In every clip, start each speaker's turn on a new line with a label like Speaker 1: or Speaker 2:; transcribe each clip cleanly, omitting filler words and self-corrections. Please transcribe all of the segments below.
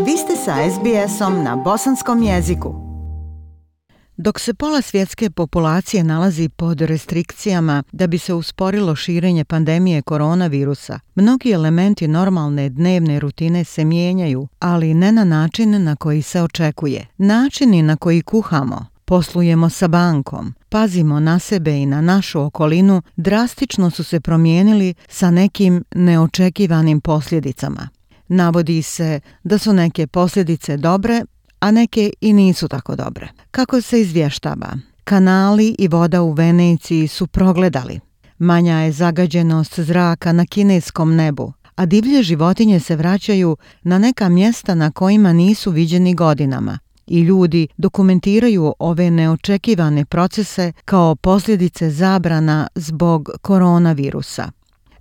Speaker 1: Vi ste sa SBS-om na bosanskom jeziku. Dok se pola svjetske populacije nalazi pod restrikcijama da bi se usporilo širenje pandemije koronavirusa, mnogi elementi normalne dnevne rutine se mijenjaju, ali ne na način na koji se očekuje. Načini na koji kuhamo, poslujemo sa bankom, pazimo na sebe i na našu okolinu drastično su se promijenili sa nekim neočekivanim posljedicama. Navodi se da su neke posljedice dobre, a neke i nisu tako dobre. Kako se izvještava, kanali i voda u Veneciji su progledali. Manja je zagađenost zraka na kineskom nebu, a divlje životinje se vraćaju na neka mjesta na kojima nisu viđeni godinama. I ljudi dokumentiraju ove neočekivane procese kao posljedice zabrana zbog koronavirusa.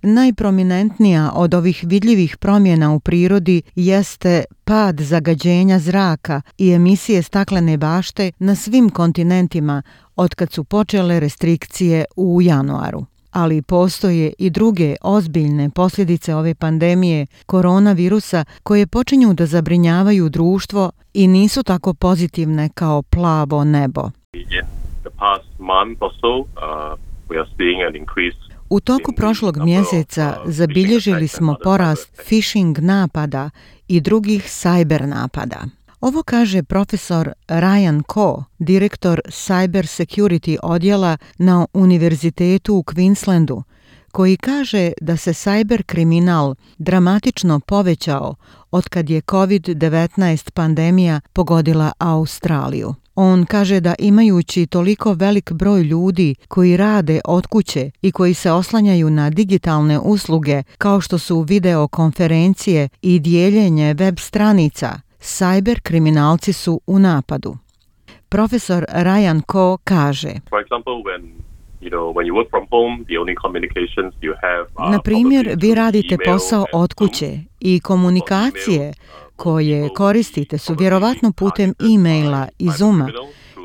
Speaker 1: Najprominentnija od ovih vidljivih promjena u prirodi jeste pad zagađenja zraka i emisije staklene bašte na svim kontinentima otkad su počele restrikcije u januaru. Ali postoje i druge ozbiljne posljedice ove pandemije koronavirusa koje počinju da zabrinjavaju društvo i nisu tako pozitivne kao plavo nebo. U toku prošlog mjeseca zabilježili smo porast phishing napada i drugih cyber napada. Ovo kaže profesor Ryan Ko, direktor Cyber Security odjela na Univerzitetu u Queenslandu, koji kaže da se cyber kriminal dramatično povećao otkad je COVID-19 pandemija pogodila Australiju. On kaže da imajući toliko velik broj ljudi koji rade od kuće i koji se oslanjaju na digitalne usluge kao što su videokonferencije i dijeljenje web stranica, cyber kriminalci su u napadu. Profesor Ryan Ko kaže: na primjer, vi radite posao od kuće i komunikacije koje koristite su vjerovatno putem e-maila i Zooma.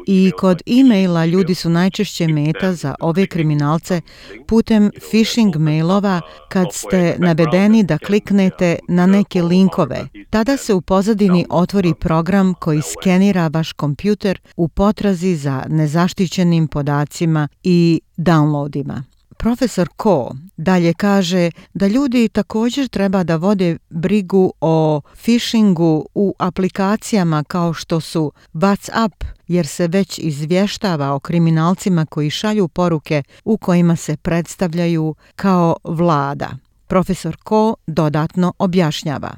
Speaker 1: I kod e-maila ljudi su najčešće meta za ove kriminalce putem phishing mailova kad ste navedeni da kliknete na neke linkove. Tada se u pozadini otvori program koji skenira vaš kompjuter u potrazi za nezaštićenim podacima i downloadima. Profesor Ko dalje kaže da ljudi također treba da vode brigu o phishingu u aplikacijama kao što su WhatsApp, jer se već izvještava o kriminalcima koji šalju poruke u kojima se predstavljaju kao vlada. Profesor Ko dodatno objašnjava: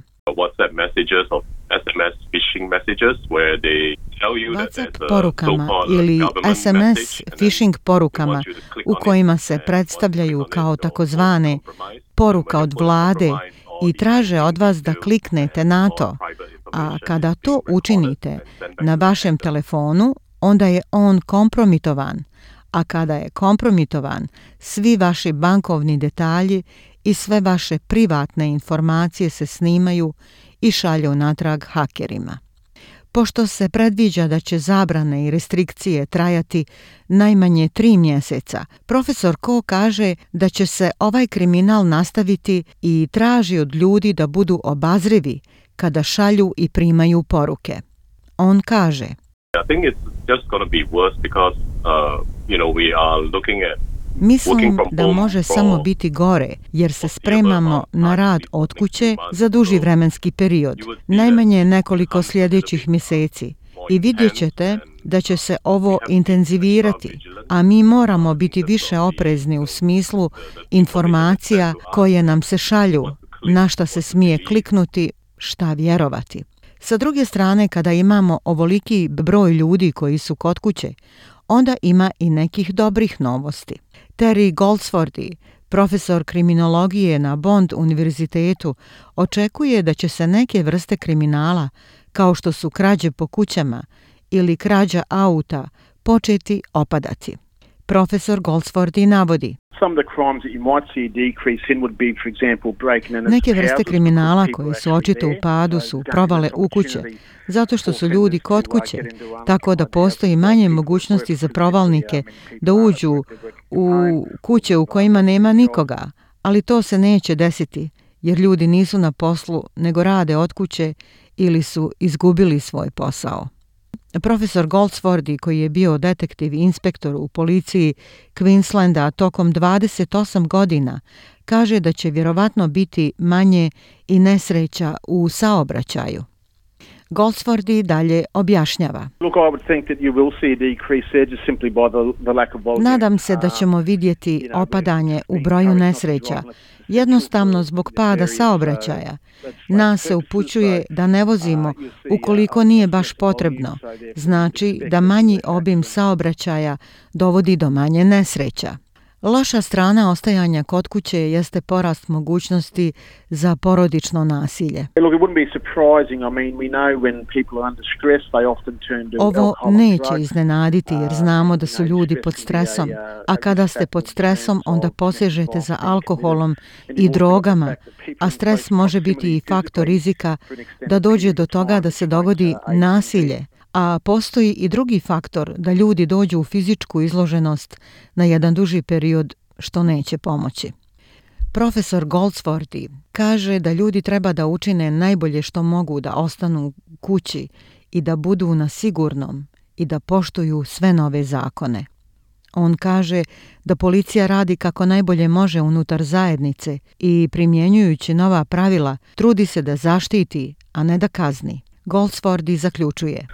Speaker 1: WhatsApp porukama ili SMS phishing porukama u kojima se predstavljaju kao takozvane poruka od vlade i traže od vas da kliknete na to, a kada to učinite na vašem telefonu, onda je on kompromitovan, a kada je kompromitovan, svi vaši bankovni detalji i sve vaše privatne informacije se snimaju i šalju natrag hakerima. Pošto se predviđa da će zabrane i restrikcije trajati najmanje 3 mjeseca, profesor Ko kaže da će se ovaj kriminal nastaviti i traži od ljudi da budu obazrivi kada šalju i primaju poruke. On kaže: mislim da može samo biti gore, jer se spremamo na rad od kuće za duži vremenski period, najmanje nekoliko sljedećih mjeseci. I vidjet ćete da će se ovo intenzivirati, a mi moramo biti više oprezni u smislu informacija koje nam se šalju, na šta se smije kliknuti, šta vjerovati. Sa druge strane, kada imamo ovoliki broj ljudi koji su kod kuće, onda ima i nekih dobrih novosti. Terry Goldsworthy, profesor kriminologije na Bond univerzitetu, očekuje da će se neke vrste kriminala, kao što su krađe po kućama ili krađa auta, početi opadati. Profesor Goldsworthy navodi: neke vrste kriminala koje su očito u padu su provale u kuće, zato što su ljudi kod kuće, tako da postoji manje mogućnosti za provalnike da uđu u kuće u kojima nema nikoga, ali to se neće desiti, jer ljudi nisu na poslu nego rade od kuće ili su izgubili svoj posao. Profesor Goldsworthy, koji je bio detektiv i inspektor u policiji Queenslanda tokom 28 godina, kaže da će vjerovatno biti manje i nesreća u saobraćaju. Goldsworthy dalje objašnjava. Nadam se da ćemo vidjeti opadanje u broju nesreća, jednostavno zbog pada saobraćaja. Nas se upućuje da ne vozimo ukoliko nije baš potrebno. Znači da manji obim saobraćaja dovodi do manje nesreća. Loša strana ostajanja kod kuće jeste porast mogućnosti za porodično nasilje. Ovo neće iznenaditi jer znamo da su ljudi pod stresom, a kada ste pod stresom onda posežete za alkoholom i drogama, a stres može biti i faktor rizika da dođe do toga da se dogodi nasilje. A postoji i drugi faktor da ljudi dođu u fizičku izloženost na jedan duži period što neće pomoći. Profesor Goldsworthy kaže da ljudi treba da učine najbolje što mogu da ostanu kući i da budu na sigurnom i da poštuju sve nove zakone. On kaže da policija radi kako najbolje može unutar zajednice i primjenjujući nova pravila trudi se da zaštiti, a ne da kazni. Goldsworthy zaključuje.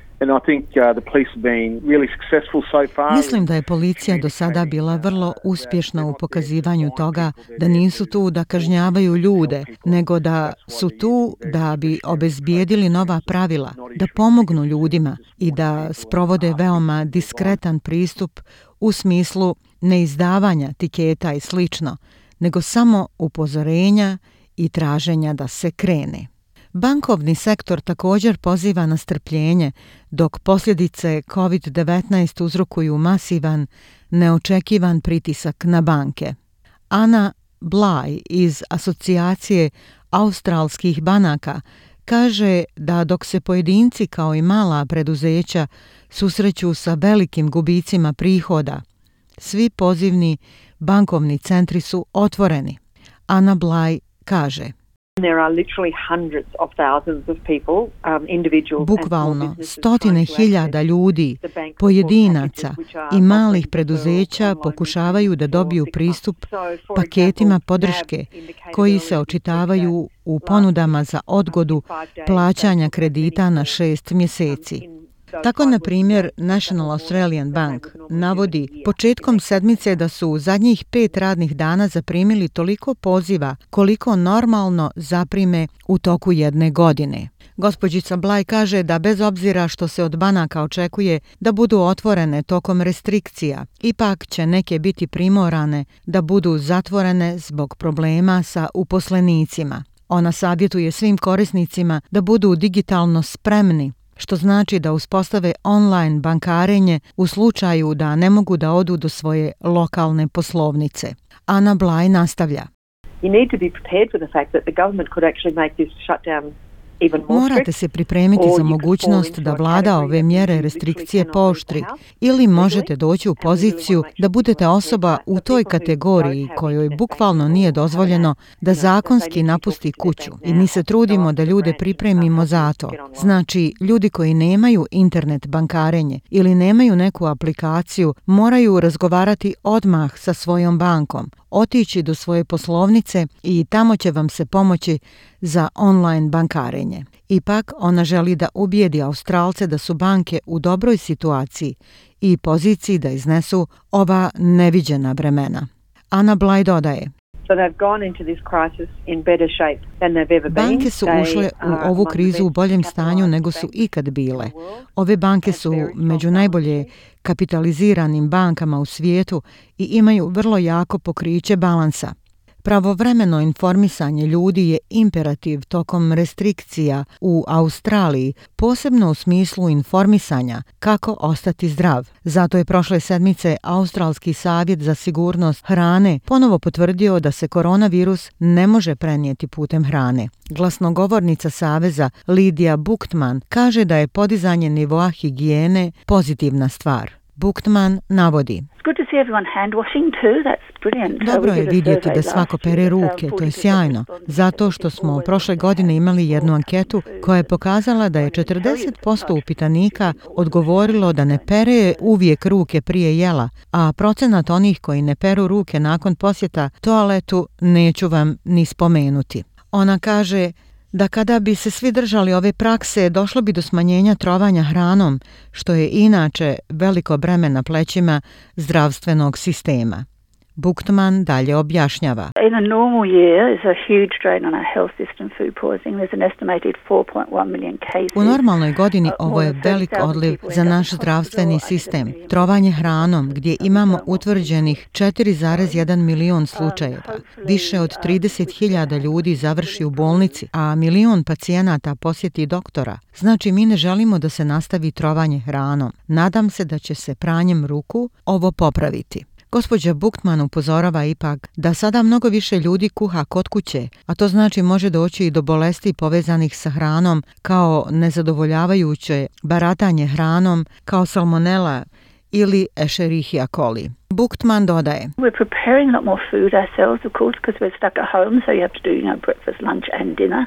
Speaker 1: Mislim da je policija do sada bila vrlo uspješna u pokazivanju toga da nisu tu da kažnjavaju ljude, nego da su tu da bi obezbijedili nova pravila, da pomognu ljudima i da sprovode veoma diskretan pristup u smislu neizdavanja tiketa i slično, nego samo upozorenja i traženja da se krene. Bankovni sektor također poziva na strpljenje, dok posljedice COVID-19 uzrokuju masivan, neočekivan pritisak na banke. Ana Bly iz Asocijacije australskih banaka kaže da dok se pojedinci kao i mala preduzeća susreću sa velikim gubicima prihoda, svi pozivni bankovni centri su otvoreni. Ana Bly kaže: Bukvalno stotine hiljada ljudi, pojedinaca i malih preduzeća pokušavaju da dobiju pristup paketima podrške koji se očitavaju u ponudama za odgodu plaćanja kredita na 6 mjeseci. Tako, na primjer, National Australian Bank navodi početkom sedmice da su u zadnjih 5 radnih dana zaprimili toliko poziva koliko normalno zaprime u toku jedne godine. Gospođica Bly kaže da bez obzira što se od banaka očekuje da budu otvorene tokom restrikcija, ipak će neke biti primorane da budu zatvorene zbog problema sa uposlenicima. Ona savjetuje svim korisnicima da budu digitalno spremni, što znači da uspostave online bankarenje u slučaju da ne mogu da odu do svoje lokalne poslovnice. Ana Bly nastavlja. Morate se pripremiti za mogućnost da vlada ove mjere restrikcije pooštri ili možete doći u poziciju da budete osoba u toj kategoriji kojoj bukvalno nije dozvoljeno da zakonski napusti kuću i mi se trudimo da ljude pripremimo za to. Znači, ljudi koji nemaju internet bankarenje ili nemaju neku aplikaciju moraju razgovarati odmah sa svojom bankom, otići do svoje poslovnice i tamo će vam se pomoći za online bankarenje. Ipak, ona želi da ubijedi Australce da su banke u dobroj situaciji i poziciji da iznesu ova neviđena vremena. Ana Bly dodaje: Banke su ušle u ovu krizu u boljem stanju nego su ikad bile. Ove banke su među najbolje kapitaliziranim bankama u svijetu i imaju vrlo jako pokriće balansa. Pravovremeno informisanje ljudi je imperativ tokom restrikcija u Australiji, posebno u smislu informisanja kako ostati zdrav. Zato je prošle sedmice Australski savjet za sigurnost hrane ponovo potvrdio da se koronavirus ne može prenijeti putem hrane. Glasnogovornica Saveza Lidija Buchtman kaže da je podizanje nivoa higijene pozitivna stvar. Buchtman navodi. Dobro je vidjeti da svako pere ruke, to je sjajno, zato što smo prošle godine imali jednu anketu koja je pokazala da je 40% upitanika odgovorilo da ne pere uvijek ruke prije jela, a procenat onih koji ne peru ruke nakon posjeta toaletu neću vam ni spomenuti. Ona kaže da kada bi se svi držali ove prakse, došlo bi do smanjenja trovanja hranom, što je inače veliko breme na plećima zdravstvenog sistema. Buchtman dalje objašnjava.
Speaker 2: In a normal year is a huge drain on our health system, food poisoning. There's an estimated 4.1 million cases.
Speaker 1: U normalnoj godini ovo je velik odliv za naš zdravstveni sistem. Trovanje hranom, gdje imamo utvrđenih 4,1 milion slučajeva. Više od 30.000 ljudi završi u bolnici, a milion pacijenata posjeti doktora. Znači, mi ne želimo da se nastavi trovanje hranom. Nadam se da će se pranjem ruku ovo popraviti. Gospođa Buchtman upozorava ipak da sada mnogo više ljudi kuha kod kuće, a to znači može doći i do bolesti povezanih sa hranom kao nezadovoljavajuće baratanje hranom, kao salmonela ili Escherichia coli. Buchtman dodaje.
Speaker 2: We're preparing a lot more food ourselves, of course, because we're stuck at home, so you have to do, breakfast, lunch and dinner.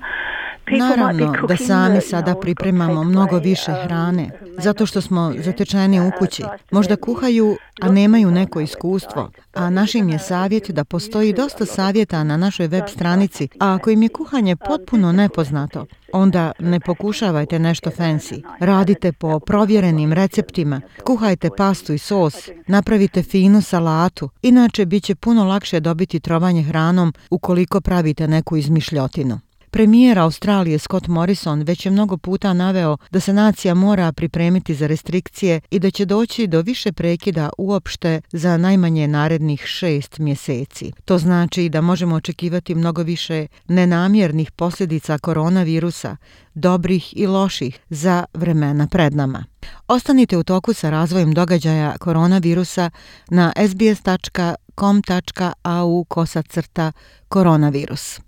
Speaker 1: Naravno da sami sada pripremamo mnogo više hrane, zato što smo zatečeni u kući. Možda kuhaju, a nemaju neko iskustvo. A našim je savjet da postoji dosta savjeta na našoj web stranici, a ako im je kuhanje potpuno nepoznato, onda ne pokušavajte nešto fancy. Radite po provjerenim receptima, kuhajte pastu i sos, napravite finu salatu, inače bit će puno lakše dobiti trovanje hranom ukoliko pravite neku izmišljotinu. Premijer Australije Scott Morrison već je mnogo puta naveo da se nacija mora pripremiti za restrikcije i da će doći do više prekida uopšte za najmanje narednih 6 mjeseci. To znači da možemo očekivati mnogo više nenamjernih posljedica koronavirusa, dobrih i loših, za vremena pred nama. Ostanite u toku sa razvojem događaja koronavirusa na sbs.com.au/koronavirus.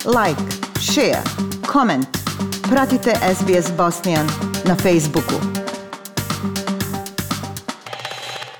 Speaker 1: Like, share, comment. Pratite SBS Bosnian na Facebooku.